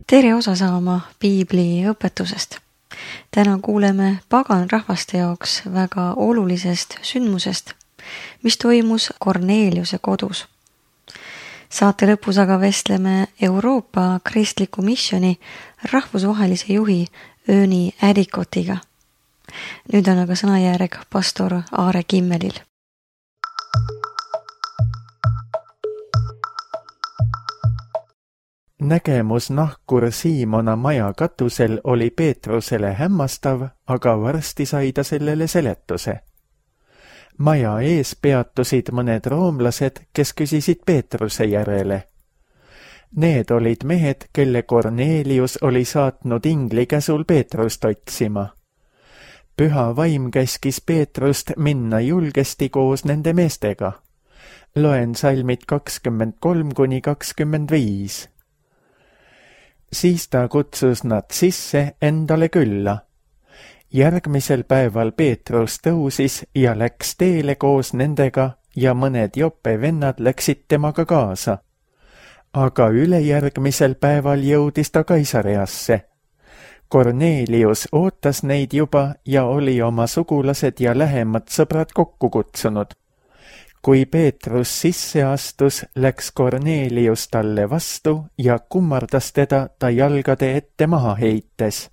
Tere osa saama piibli õpetusest. Täna kuuleme paganrahvaste jaoks väga olulisest sündmusest, mis toimus Korneliuse kodus. Saate lõpus aga vestleme Euroopa kristliku missiooni rahvusvahelise juhi Ööni Ärikotiga. Nüüd on aga sõnajärg pastor Aare Kimmelil. Nägemus nahkur Siimona maja katusel oli Peetrusele hämmastav, aga varsti sai ta sellele seletuse. Maja ees peatusid mõned roomlased, kes küsisid Peetruse järele. Need olid mehed, kelle Kornelius oli saatnud ingli käsul Peetrust otsima. Püha vaim käskis Peetrust minna julgesti koos nende meestega. Loen salmid 23–25. Siis ta kutsus nad sisse endale külla. Järgmisel päeval Peetrus tõusis ja läks teele koos nendega ja mõned Joppe vennad läksid temaga kaasa. Aga ülejärgmisel päeval jõudis ta Kaisareasse. Kornelius ootas neid juba ja oli oma sugulased ja lähemad sõbrad kokku kutsunud. Kui Peetrus sisse astus, läks Kornelius talle vastu ja kummardas teda ta jalgade ette maha heites.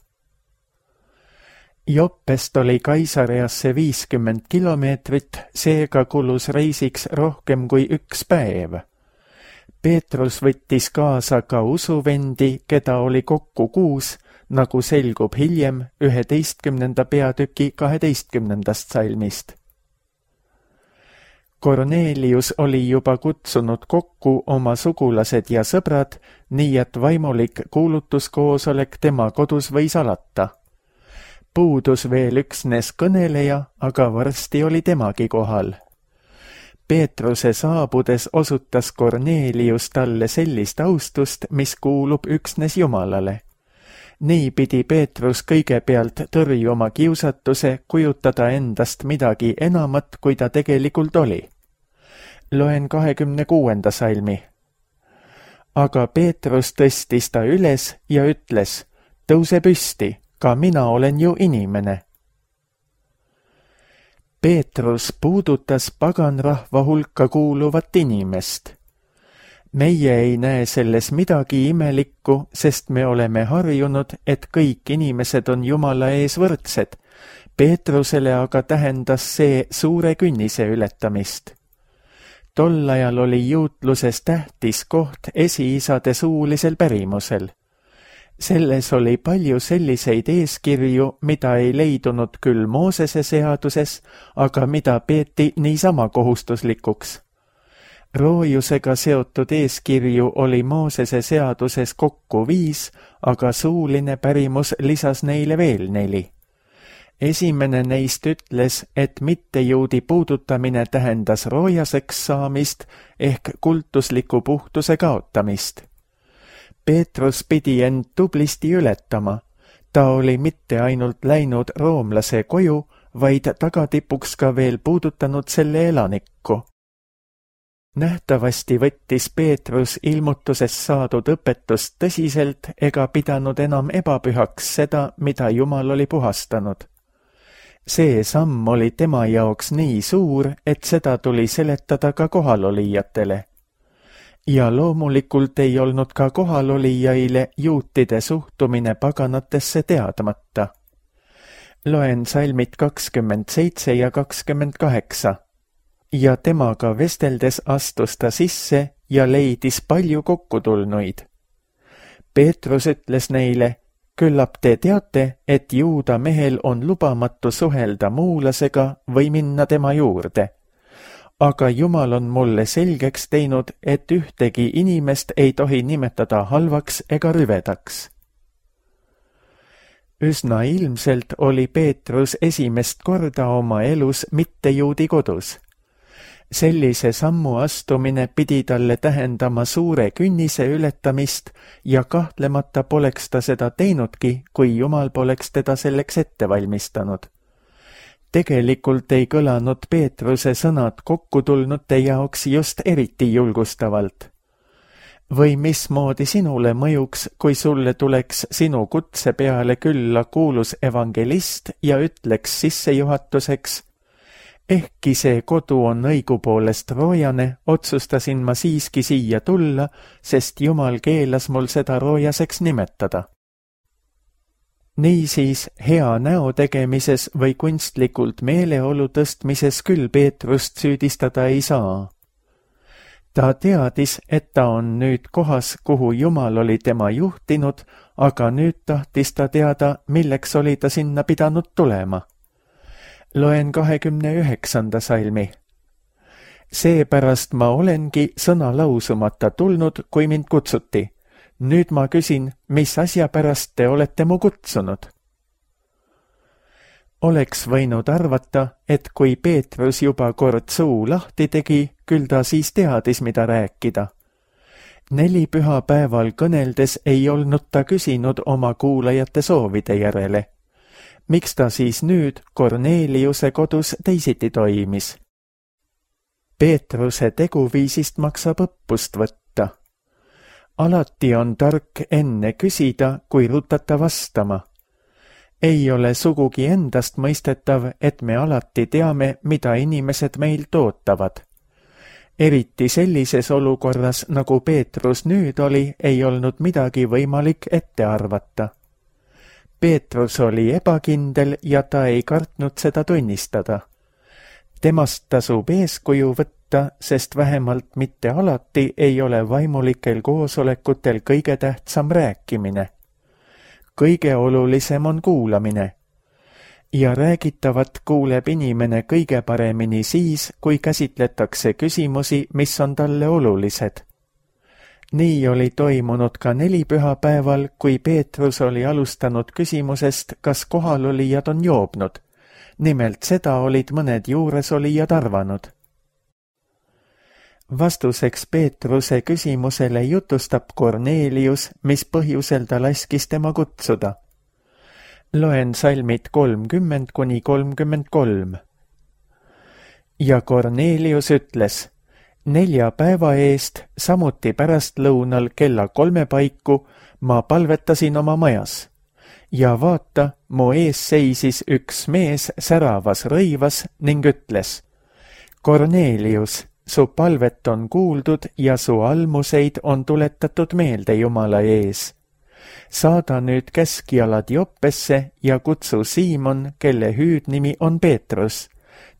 Joppest oli Kaisareasse 50 kilomeetrit, seega kulus reisiks rohkem kui 1 päev. Peetrus võttis kaasa ka usuvendi, keda oli kokku 6, nagu selgub hiljem 11. peatüki 12. salmist. Kornelius oli juba kutsunud kokku oma sugulased ja sõbrad, nii et vaimulik kuulutuskoosolek tema kodus võis alata. Puudus veel üksnes kõneleja, aga varsti oli temagi kohal. Peetruse saabudes osutas Kornelius talle sellist austust, mis kuulub üksnes Jumalale. Nii pidi Peetrus kõigepealt tõrjuma kiusatuse kujutada endast midagi enamat, kui ta tegelikult oli. Loen 26. salmi. Aga Peetrus tõstis ta üles ja ütles, tõuse püsti, ka mina olen ju inimene. Peetrus puudutas paganrahva hulka kuuluvat inimest. Meie ei näe selles midagi imelikku, sest me oleme harjunud, et kõik inimesed on Jumala ees võrdsed. Peetrusele aga tähendas see suure künnise ületamist. Tol ajal oli juutluses tähtis koht esiisade suulisel pärimusel. Selles oli palju selliseid eeskirju, mida ei leidunud küll Moosese seaduses, aga mida peeti niisama kohustuslikuks. Roojusega seotud eeskirju oli Moosese seaduses kokku 5, aga suuline pärimus lisas neile veel 4. Esimene neist ütles, et mittejuudi puudutamine tähendas roojaseks saamist ehk kultusliku puhtuse kaotamist. Peetrus pidi end tublisti ületama. Ta oli mitte ainult läinud roomlase koju, vaid tagatipuks ka veel puudutanud selle elanikku. Nähtavasti võttis Peetrus ilmutusest saadud õpetust tõsiselt ega pidanud enam ebapühaks seda, mida Jumal oli puhastanud. See samm oli tema jaoks nii suur, et seda tuli seletada ka kohalolijatele. Ja loomulikult ei olnud ka kohalolijaile juutide suhtumine paganatesse teadmata. Loen salmid 27 ja 28. Ja temaga vesteldes astus ta sisse ja leidis palju kokkutulnuid. Peetrus ütles neile, küllap te teate, et juuda mehel on lubamatu suhelda muulasega või minna tema juurde. Aga Jumal on mulle selgeks teinud, et ühtegi inimest ei tohi nimetada halvaks ega rüvedaks. Üsna ilmselt oli Peetrus esimest korda oma elus mittejuudi kodus. Sellise sammu astumine pidi talle tähendama suure künnise ületamist ja kahtlemata poleks ta seda teinudki, kui Jumal poleks teda selleks ette valmistanud. Tegelikult ei kõlanud Peetruse sõnad kokkutulnute jaoks just eriti julgustavalt. Või mismoodi sinule mõjuks, kui sulle tuleks sinu kutse peale külla kuulus evangelist ja ütleks sissejuhatuseks: ehkki see kodu on õigupoolest roojane, otsustasin ma siiski siia tulla, sest Jumal keelas mul seda roojaseks nimetada. Niisiis, hea näo tegemises või kunstlikult meeleolu tõstmises küll Peetrust süüdistada ei saa. Ta teadis, et ta on nüüd kohas, kuhu Jumal oli tema juhtinud, aga nüüd tahtis ta teada, milleks oli ta sinna pidanud tulema. Loen 29. salmi. Seepärast ma olengi sõna lausumata tulnud, kui mind kutsuti. Nüüd ma küsin, mis asja pärast te olete mu kutsunud? Oleks võinud arvata, et kui Peetrus juba kord suu lahti tegi, küll ta siis teadis, mida rääkida. 4 pühapäeval kõneldes ei olnud ta küsinud oma kuulajate soovide järele. Miks ta siis nüüd Korneliuse kodus teisiti toimis? Peetruse teguviisist maksab õppust võtta. Alati on tark enne küsida, kui rutata vastama. Ei ole sugugi endast mõistetav, et me alati teame, mida inimesed meilt ootavad. Eriti sellises olukorras, nagu Peetrus nüüd oli, ei olnud midagi võimalik ette arvata. Peetrus oli ebakindel ja ta ei kartnud seda tunnistada. Temast tasub eeskuju võtta, sest vähemalt mitte alati ei ole vaimulikel koosolekutel kõige tähtsam rääkimine. Kõige olulisem on kuulamine. Ja räägitavat kuuleb inimene kõige paremini siis, kui käsitletakse küsimusi, mis on talle olulised. Nii oli toimunud ka 4 pühapäeval, kui Peetrus oli alustanud küsimusest, kas kohalolijad on joobnud. Nimelt seda olid mõned juuresolijad arvanud. Vastuseks Peetruse küsimusele jutustab Kornelius, mis põhjusel ta laskis tema kutsuda. Loen salmid 30–33. Ja Kornelius ütles: 4 päeva eest, samuti pärastlõunal kella 3 paiku, ma palvetasin oma majas. Ja vaata, mu ees seisis üks mees säravas rõivas ning ütles: Kornelius, su palvet on kuuldud ja su almuseid on tuletatud meelde Jumala ees. Saada nüüd käskjalad Joppesse ja kutsu Siimon, kelle hüüdnimi on Peetrus.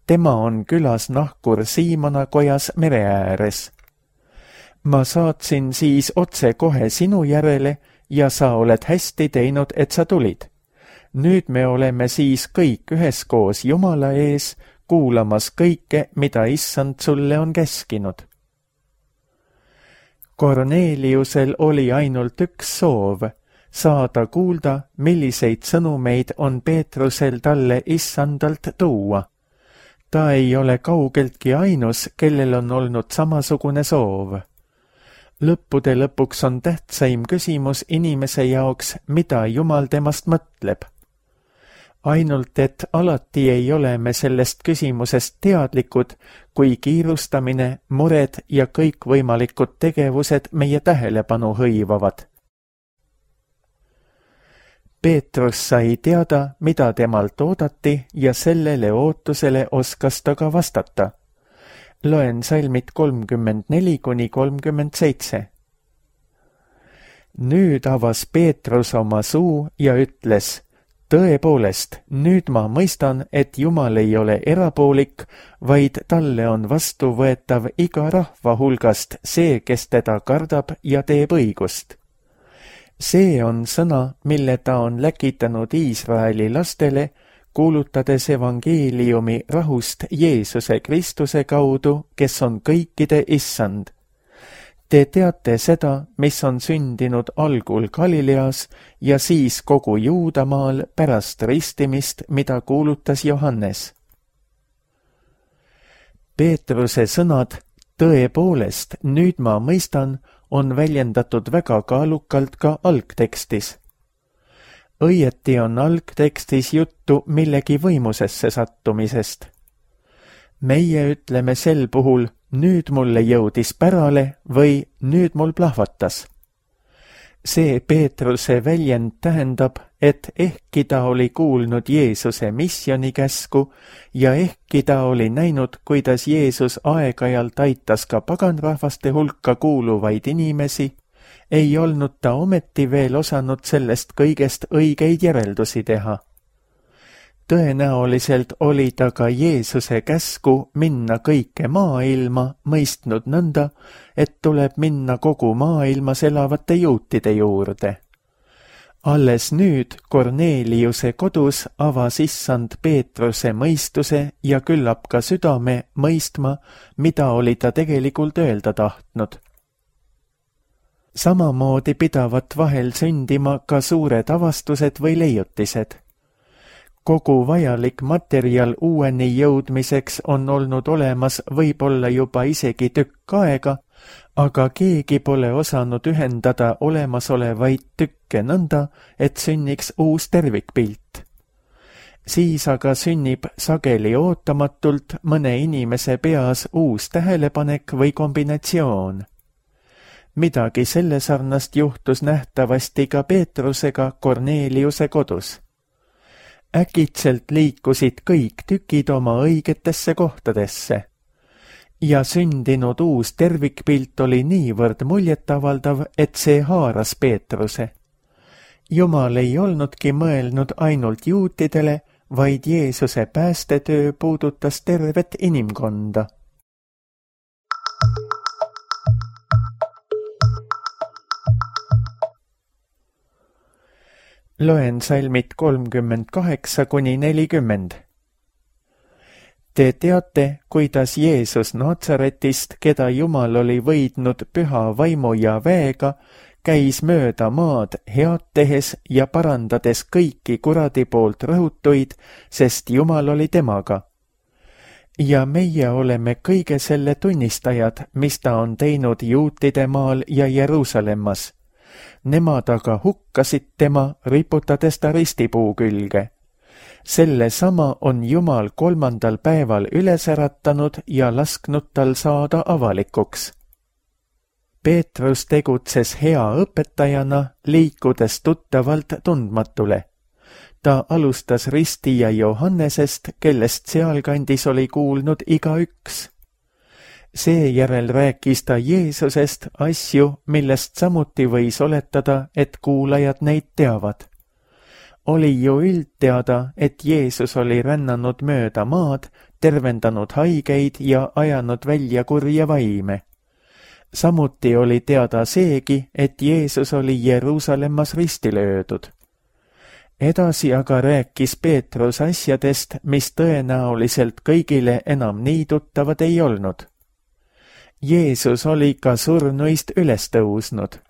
Tema on külas nahkur Siimona kojas mere ääres. Ma saatsin siis otse kohe sinu järele ja sa oled hästi teinud, et sa tulid. Nüüd me oleme siis kõik üheskoos Jumala ees, kuulamas kõike, mida Issand sulle on käskinud. Korneliusel oli ainult üks soov, saada kuulda, milliseid sõnumeid on Peetrusel talle Issandalt tuua. Ta ei ole kaugeltki ainus, kellel on olnud samasugune soov. Lõppude lõpuks on tähtsaim küsimus inimese jaoks, mida Jumal temast mõtleb. Ainult, et alati ei ole me sellest küsimusest teadlikud, kui kiirustamine, mured ja kõikvõimalikud tegevused meie tähelepanu hõivavad. Peetrus sai teada, mida temalt oodati ja sellele ootusele oskas ta ka vastata. Loen salmid 34–37. Nüüd avas Peetrus oma suu ja ütles: tõepoolest, nüüd ma mõistan, et Jumal ei ole erapoolik, vaid talle on vastuvõetav iga rahva hulgast see, kes teda kardab ja teeb õigust. See on sõna, mille ta on läkitanud Iisraeli lastele, kuulutades evangeeliumi rahust Jeesuse Kristuse kaudu, kes on kõikide Issand. Te teate seda, mis on sündinud algul Galileas ja siis kogu Juudamaal pärast ristimist, mida kuulutas Johannes. Peetruse sõnad, tõepoolest, nüüd ma mõistan, on väljendatud väga kaalukalt ka algtekstis. Õieti on algtekstis juttu millegi võimusesse sattumisest. meie ütleme sel puhul nüüd mulle jõudis pärale või nüüd mul plahvatas. See Peetruse väljend tähendab, et ehkki ta oli kuulnud Jeesuse missionikäsku ja ehkki ta oli näinud, kuidas Jeesus aeg-ajalt aitas ka paganrahvaste hulka kuuluvaid inimesi, ei olnud ta ometi veel osanud sellest kõigest õigeid järeldusi teha. Tõenäoliselt oli ta ka Jeesuse käsku minna kõike maailma mõistnud nõnda, et tuleb minna kogu maailmas elavate juutide juurde. Alles nüüd Korneliuse kodus avas issand Peetruse mõistuse ja küllap ka südame mõistma, mida oli ta tegelikult öelda tahtnud. Samamoodi pidavat vahel sündima ka suured avastused või leiutised. Kogu vajalik materjal uueni jõudmiseks on olnud olemas võib-olla juba isegi tükk aega, aga keegi pole osanud ühendada olemasolevaid tükke nõnda, et sünniks uus tervikpilt. Siis aga sünnib sageli ootamatult mõne inimese peas uus tähelepanek või kombinatsioon. Midagi selle sarnast juhtus nähtavasti ka Peetrusega Korneliuse kodus. Äkitselt liikusid kõik tükid oma õigetesse kohtadesse ja sündinud uus tervikpilt oli niivõrd muljetavaldav, et see haaras Peetruse. Jumal ei olnudki mõelnud ainult juutidele, vaid Jeesuse päästetöö puudutas tervet inimkonda. Loen salmid 38–40. Te teate, kuidas Jeesus Natsaretist, keda Jumal oli võidnud püha vaimu ja väega, käis mööda maad head tehes ja parandades kõiki kuradi poolt rõhutuid, sest Jumal oli temaga. Ja meie oleme kõige selle tunnistajad, mis ta on teinud juutide maal ja Jeruusalemmas. Nemad aga hukkasid tema, riputades ta ristipuu külge. Selle sama on Jumal 3. päeval üles äratanud ja lasknud tal saada avalikuks. Peetrus tegutses hea õpetajana, liikudes tuttavalt tundmatule. Ta alustas ristija Johannesest, kellest sealkandis oli kuulnud igaüks. Seejärel rääkis ta Jeesusest asju, millest samuti võis oletada, et kuulajad neid teavad. Oli ju üldteada, et Jeesus oli rännanud mööda maad, tervendanud haigeid ja ajanud välja kurja vaime. Samuti oli teada seegi, et Jeesus oli Jeruusalemmas risti löödud. Edasi aga rääkis Peetrus asjadest, mis tõenäoliselt kõigile enam nii tuttavad ei olnud. Jeesus oli ka surnuist üles tõusnud.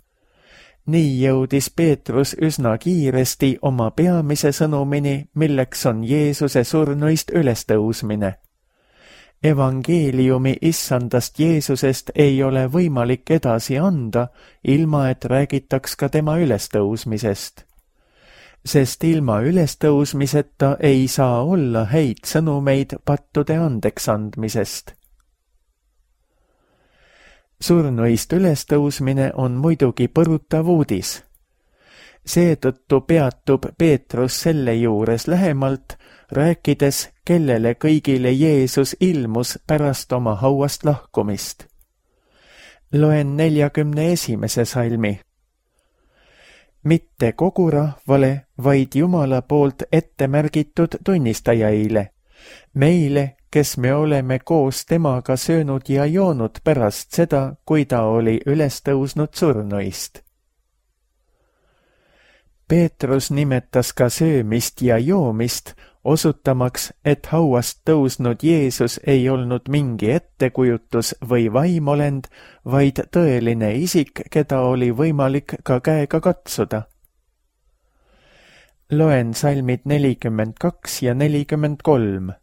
Nii jõudis Peetrus üsna kiiresti oma peamise sõnumini, milleks on Jeesuse surnuist ülestõusmine. Evangeeliumi issandast Jeesusest ei ole võimalik edasi anda, ilma et räägitaks ka tema ülestõusmisest. Sest ilma ülestõusmiseta ei saa olla häid sõnumeid pattude andeks andmisest. Surnuist ülestõusmine on muidugi põrutav uudis. Seetõttu peatub Peetrus selle juures lähemalt, rääkides, kellele kõigile Jeesus ilmus pärast oma hauast lahkumist. Loen 41. salmi. Mitte kogu rahvale, vaid Jumala poolt ette märgitud tunnistajaile, meile, kes me oleme koos temaga söönud ja joonud pärast seda, kui ta oli üles tõusnud surnuist. Peetrus nimetas ka söömist ja joomist, osutamaks, et hauast tõusnud Jeesus ei olnud mingi ettekujutus või vaimolend, vaid tõeline isik, keda oli võimalik ka käega katsuda. Loen salmid 42 ja 43.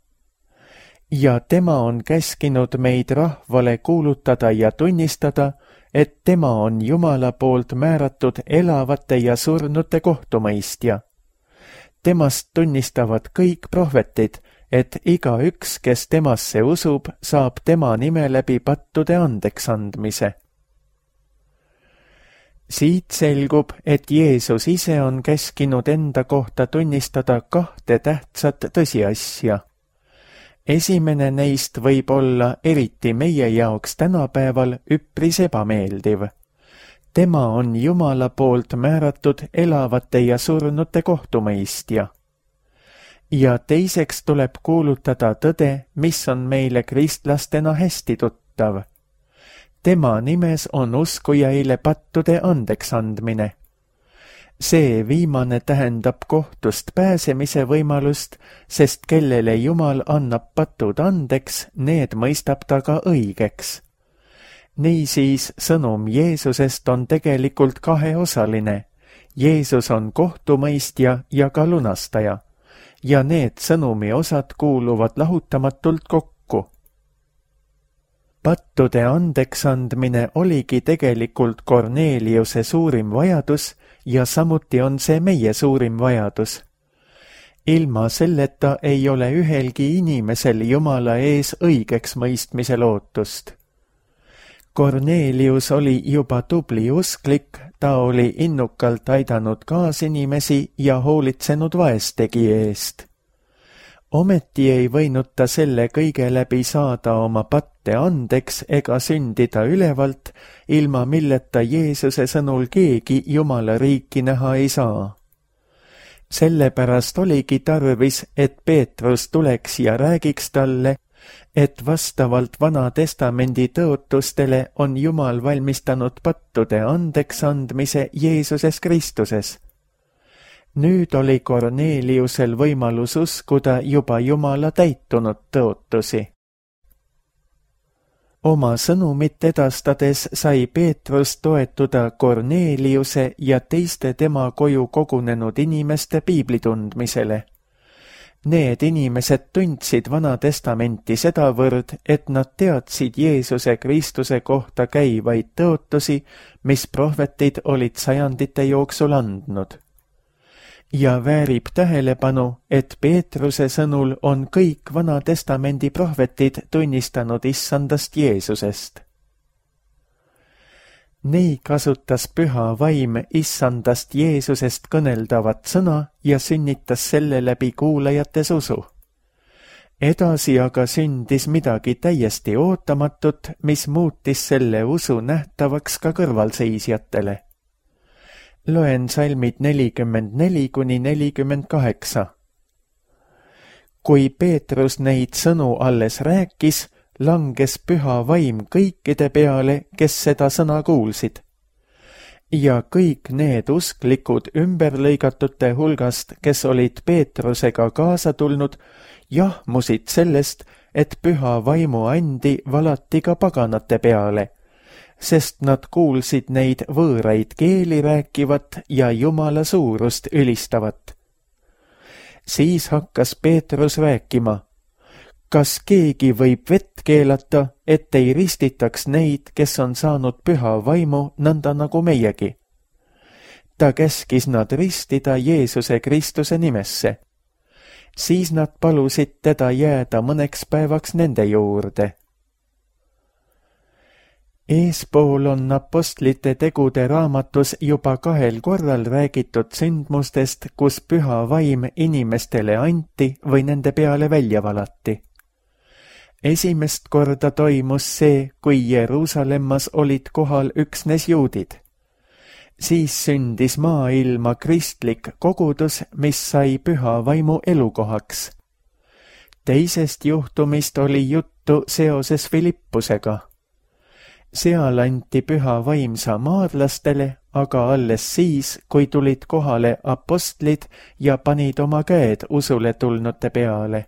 Ja tema on käskinud meid rahvale kuulutada ja tunnistada, et tema on Jumala poolt määratud elavate ja surnute kohtumõistja. Temast tunnistavad kõik prohvetid, et igaüks, kes temasse usub, saab tema nime läbi pattude andeksandmise. Siit selgub, et Jeesus ise on käskinud enda kohta tunnistada 2 tähtsat tõsiasja. Esimene neist võib olla eriti meie jaoks tänapäeval üpris ebameeldiv. Tema on Jumala poolt määratud elavate ja surnute kohtumõistja. Ja teiseks tuleb kuulutada tõde, mis on meile kristlastena hästi tuttav. Tema nimes on uskujaile pattude andeksandmine. See viimane tähendab kohtust pääsemise võimalust, sest kellele Jumal annab patud andeks, need mõistab ta ka õigeks. Niisiis sõnum Jeesusest on tegelikult 2-osaline. Jeesus on kohtumõistja ja ka lunastaja. Ja need sõnumi osad kuuluvad lahutamatult kokku. Pattude andeksandmine oligi tegelikult Korneliuse suurim vajadus ja samuti on see meie suurim vajadus. Ilma selleta ei ole ühelgi inimesel Jumala ees õigeks mõistmise lootust. Kornelius oli juba tubli usklik, ta oli innukalt aidanud kaasinimesi ja hoolitsenud vaestegi eest. Ometi ei võinud ta selle kõige läbi saada oma patte andeks ega sündida ülevalt, ilma milleta Jeesuse sõnul keegi Jumala riiki näha ei saa. Sellepärast oligi tarvis, et Peetrus tuleks ja räägiks talle, et vastavalt Vana Testamendi tõotustele on Jumal valmistanud pattude andeksandmise Jeesuses Kristuses. Nüüd oli Korneliusel võimalus uskuda juba Jumala täitunud tõotusi. Oma sõnumit edastades sai Peetrus toetuda Korneliuse ja teiste tema koju kogunenud inimeste piiblitundmisele. Need inimesed tundsid Vana Testamenti sedavõrd, et nad teadsid Jeesuse Kristuse kohta käivaid tõotusi, mis prohvetid olid sajandite jooksul andnud. Ja väärib tähelepanu, et Peetruse sõnul on kõik Vana Testamendi prohvetid tunnistanud issandast Jeesusest. Nii kasutas Püha Vaim issandast Jeesusest kõneldavat sõna ja sünnitas selle läbi kuulajates usu. Edasi aga sündis midagi täiesti ootamatut, mis muutis selle usu nähtavaks ka kõrvalseisjatele. Loen salmid 44–48. Kui Peetrus neid sõnu alles rääkis, langes Püha Vaim kõikide peale, kes seda sõna kuulsid. Ja kõik need usklikud ümberlõigatute hulgast, kes olid Peetrusega kaasa tulnud, jahmusid sellest, et Püha Vaimu andi valati ka paganate peale, sest nad kuulsid neid võõraid keeli rääkivat ja Jumala suurust ülistavat. Siis hakkas Peetrus rääkima, kas keegi võib vett keelata, et ei ristitaks neid, kes on saanud Püha Vaimu nõnda nagu meiegi. Ta käskis nad ristida Jeesuse Kristuse nimesse. Siis nad palusid teda jääda mõneks päevaks nende juurde. Eespool on apostlite tegude raamatus juba 2 korral räägitud sündmustest, kus Püha Vaim inimestele anti või nende peale välja valati. Esimest korda toimus see, kui Jeruusalemmas olid kohal üksnes juudid. Siis sündis maailma kristlik kogudus, mis sai Püha Vaimu elukohaks. Teisest juhtumist oli juttu seoses Filippusega. Seal anti Püha Vaim samaarlastele, aga alles siis, kui tulid kohale apostlid ja panid oma käed usule tulnute peale.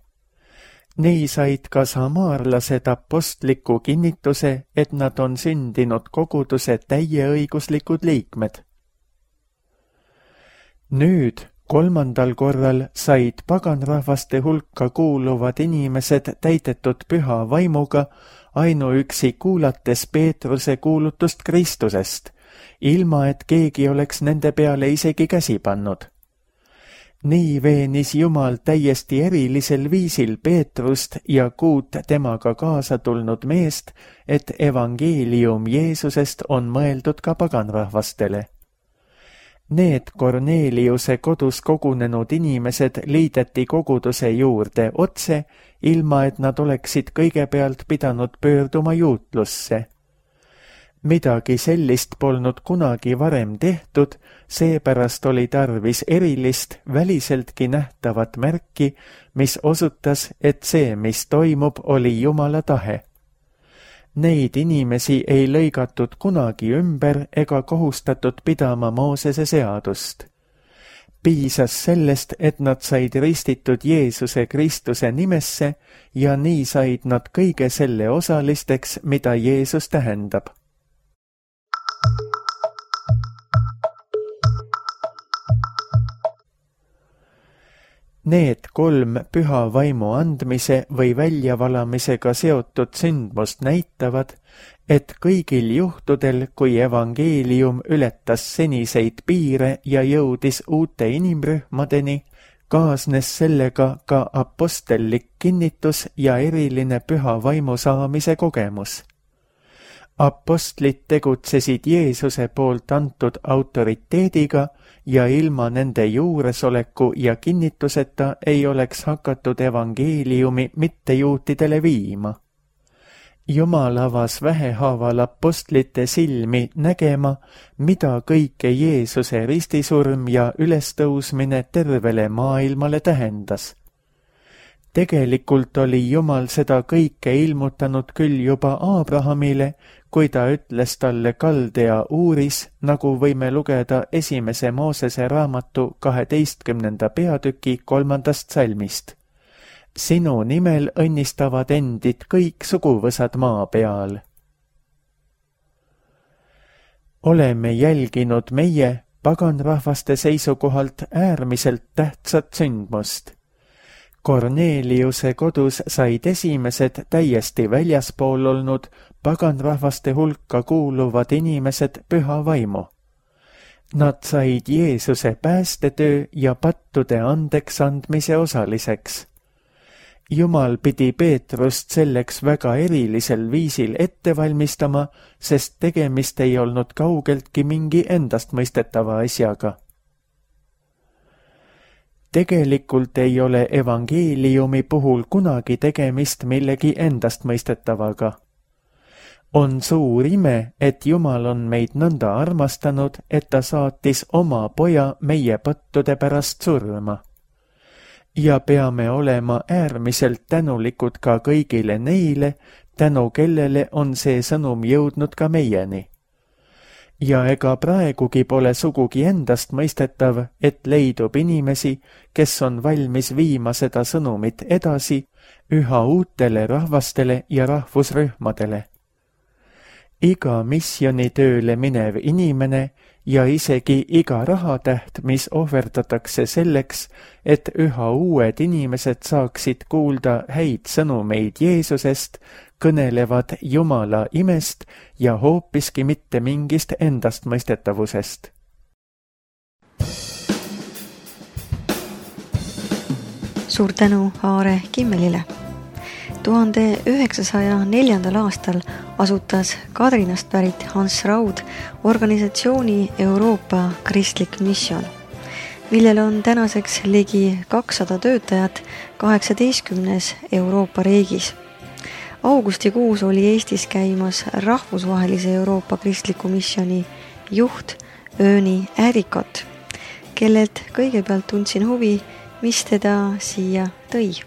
Nii said ka samaarlased apostliku kinnituse, et nad on sündinud koguduse täieõiguslikud liikmed. Nüüd, 3. korral said paganrahvaste hulka kuuluvad inimesed täidetud Püha Vaimuga ainuüksi kuulates Peetruse kuulutust Kristusest, ilma et keegi oleks nende peale isegi käsi pannud. Nii veenis Jumal täiesti erilisel viisil Peetrust ja 6 temaga kaasa tulnud meest, et evangeelium Jeesusest on mõeldud ka paganrahvastele. Need Korneliuse kodus kogunenud inimesed liideti koguduse juurde otse, ilma et nad oleksid kõigepealt pidanud pöörduma juutlusse. Midagi sellist polnud kunagi varem tehtud, seepärast oli tarvis erilist, väliseltki nähtavat märki, mis osutas, et see, mis toimub, oli Jumala tahe. Neid inimesi ei lõigatud kunagi ümber ega kohustatud pidama Moosese seadust. Piisas sellest, et nad said ristitud Jeesuse Kristuse nimesse ja nii said nad kõige selle osalisteks, mida Jeesus tähendab. Need 3 püha vaimu andmise või väljavalamisega seotud sündmust näitavad, et kõigil juhtudel, kui evangeelium ületas seniseid piire ja jõudis uute inimrühmadeni, kaasnes sellega ka apostellik kinnitus ja eriline püha vaimu saamise kogemus. Apostlid tegutsesid Jeesuse poolt antud autoriteediga ja ilma nende juuresoleku ja kinnituseta ei oleks hakatud evangeeliumi mittejuutidele viima. Jumal avas vähehaaval apostlite silmi nägema, mida kõike Jeesuse ristisurm ja ülestõusmine tervele maailmale tähendas. Tegelikult oli Jumal seda kõike ilmutanud küll juba Abrahamile, kui ta ütles talle Kaldea Uuris, nagu võime lugeda 1. Moosese raamatu 12. peatüki 3. salmist. Sinu nimel õnnistavad endid kõik suguvõsad maa peal. Oleme jälginud meie, paganrahvaste seisukohalt äärmiselt tähtsat sündmust. Korneliuse kodus said esimesed täiesti väljaspool olnud paganrahvaste hulka kuuluvad inimesed püha vaimu. Nad said Jeesuse päästetöö ja pattude andeks andmise osaliseks. Jumal pidi Peetrust selleks väga erilisel viisil ette valmistama, sest tegemist ei olnud kaugeltki mingi endastmõistetava asjaga. Tegelikult ei ole evangeeliumi puhul kunagi tegemist millegi endastmõistetavaga. On suur ime, et Jumal on meid nõnda armastanud, et ta saatis oma poja meie pattude pärast surma. Ja peame olema äärmiselt tänulikud ka kõigile neile, tänu kellele on see sõnum jõudnud ka meieni. Ja ega praegugi pole sugugi endastmõistetav, et leidub inimesi, kes on valmis viima seda sõnumit edasi üha uutele rahvastele ja rahvusrühmadele. Iga missionitööle minev inimene ja isegi iga rahatäht, mis ohverdatakse selleks, et üha uued inimesed saaksid kuulda häid sõnumeid Jeesusest, kõnelevad Jumala imest ja hoopiski mitte mingist endastmõistetavusest. Suur tänu Aare Kimmelile. 1904. aastal asutas Kadrinast pärit Hans Raud organisatsiooni Euroopa Kristlik Mission, millel on tänaseks ligi 200 töötajat 18 Euroopa riigis. Augustikuus oli Eestis käimas rahvusvahelise Euroopa Kristliku Missioni juht Ööni Äärikot, kellelt kõigepealt tundsin huvi, mis teda siia tõi.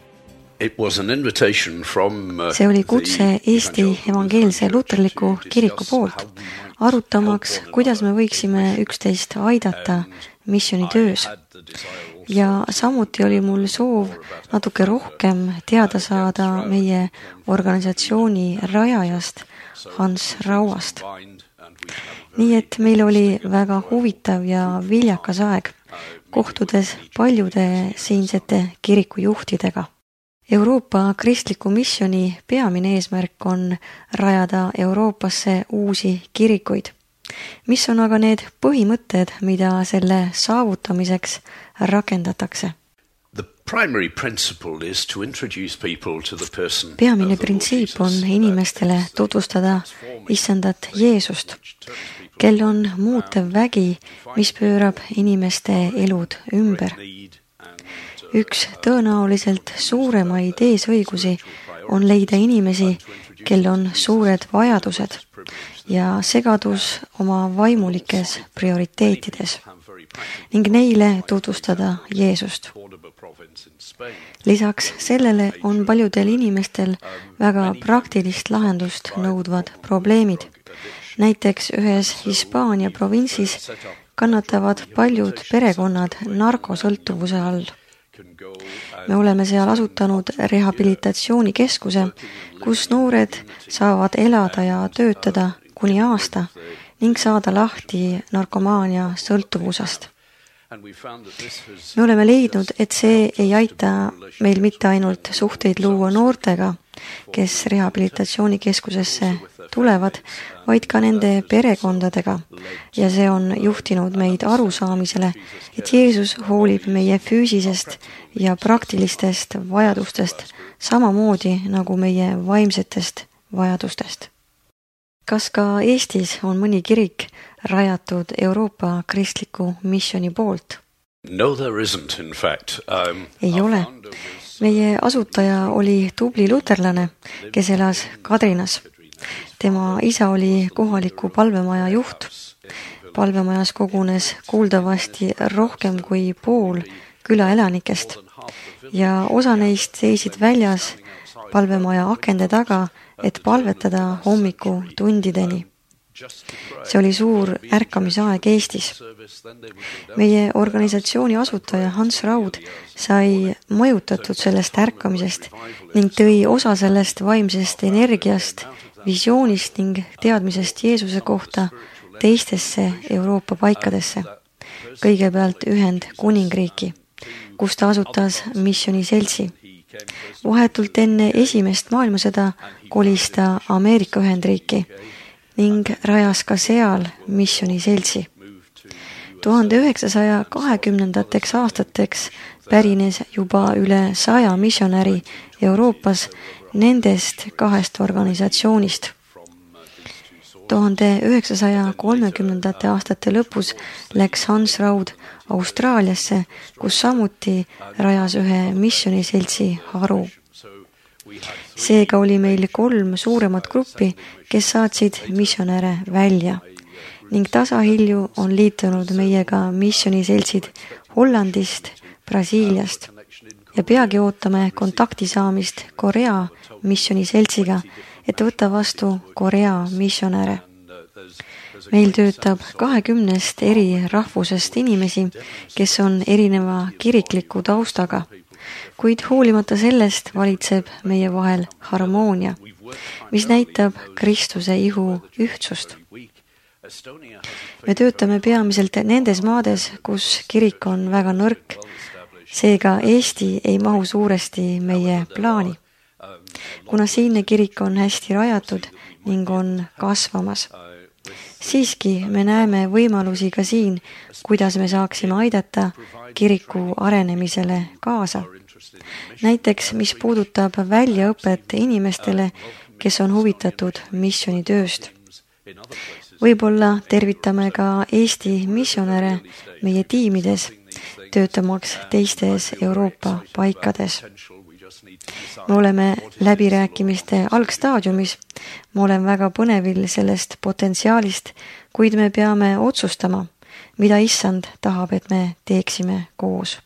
See oli kutse Eesti evangeelse luterliku kiriku poolt, arutamaks, kuidas me võiksime üksteist aidata missionitöös. Ja samuti oli mul soov natuke rohkem teada saada meie organisatsiooni rajajast Hans Rauast. Nii et meil oli väga huvitav ja viljakas aeg, kohtudes paljude siinsete kirikujuhtidega. Euroopa Kristliku Missioni peamine eesmärk on rajada Euroopasse uusi kirikuid. Mis on aga need põhimõtted, mida selle saavutamiseks rakendatakse? Peamine printsiip on inimestele tutvustada issandat Jeesust, kel on muutev vägi, mis pöörab inimeste elud ümber. Üks tõenäoliselt suuremaid eesõigusi on leida inimesi, kel on suured vajadused ja segadus oma vaimulikes prioriteetides ning neile tutvustada Jeesust. Lisaks sellele on paljudel inimestel väga praktilist lahendust nõudvad probleemid. Näiteks ühes Hispaania provintsis kannatavad paljud perekonnad narkosõltuvuse all. Me oleme seal asutanud rehabilitatsioonikeskuse, kus noored saavad elada ja töötada kuni aasta ning saada lahti narkomaania sõltuvusest. Me oleme leidnud, et see ei aita meil mitte ainult suhteid luua noortega, kes rehabilitatsioonikeskusesse tulevad, vaid ka nende perekondadega ja see on juhtinud meid arusaamisele, et Jeesus hoolib meie füüsisest ja praktilistest vajadustest samamoodi nagu meie vaimsetest vajadustest. Kas ka Eestis on mõni kirik rajatud Euroopa kristliku missiooni poolt? No, there isn't, in fact. Ei ole. Meie asutaja oli tubli luterlane, kes elas Kadrinas. Tema isa oli kohaliku palvemaja juht. Palvemajas kogunes kuuldavasti rohkem kui pool külaelanikest ja osa neist seisid väljas palvemaja akende taga, et palvetada hommiku tundideni. See oli suur ärkamisaeg Eestis. Meie organisatsiooni asutaja Hans Raud sai mõjutatud sellest ärkamisest ning tõi osa sellest vaimsest energiast, visioonist ning teadmisest Jeesuse kohta teistesse Euroopa paikadesse. Kõigepealt Ühendkuningriiki, kus ta asutas missioniseltsi. Vahetult enne esimest maailmasõda kolis ta Ameerika Ühendriiki ning rajas ka seal missioniseltsi. 1920. aastateks pärines juba üle 100 missionäri Euroopas nendest 2 organisatsioonist. 1930. aastate lõpus läks Hans Raud Austraaliasse, kus samuti rajas ühe missioniseltsi haru. Seega oli meil 3 suuremat gruppi, kes saatsid missionäre välja ning tasahilju on liitunud meiega missioniseltsid Hollandist, Brasiiliast ja peagi ootame kontakti saamist Korea missioniseltsiga, et võtta vastu Korea missionäre. Meil töötab 20 eri rahvusest inimesi, kes on erineva kirikliku taustaga, kuid hoolimata sellest valitseb meie vahel harmoonia, mis näitab Kristuse ihu ühtsust. Me töötame peamiselt nendes maades, kus kirik on väga nõrk, seega Eesti ei mahu suuresti meie plaani, kuna siinne kirik on hästi rajatud ning on kasvamas. Siiski me näeme võimalusi ka siin, kuidas me saaksime aidata kiriku arenemisele kaasa. Näiteks, mis puudutab väljaõpet inimestele, kes on huvitatud missionitööst. Võib-olla tervitame ka Eesti missionäre meie tiimides, töötamaks teistes Euroopa paikades. Me oleme läbirääkimiste algstaadiumis, ma olen väga põnevil sellest potentsiaalist, kuid me peame otsustama, mida issand tahab, et me teeksime koos.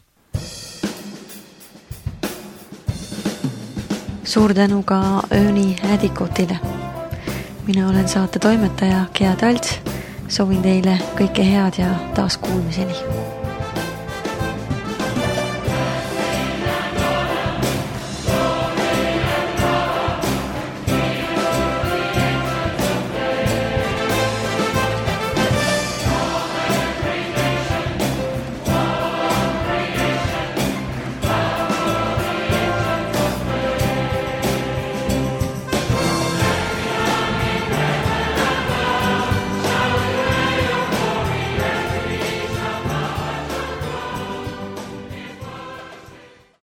Suur tänu ka Ööni Ädikotile. Mina olen saate toimetaja Gea Talts, soovin teile kõike head ja taas kuulmiseni.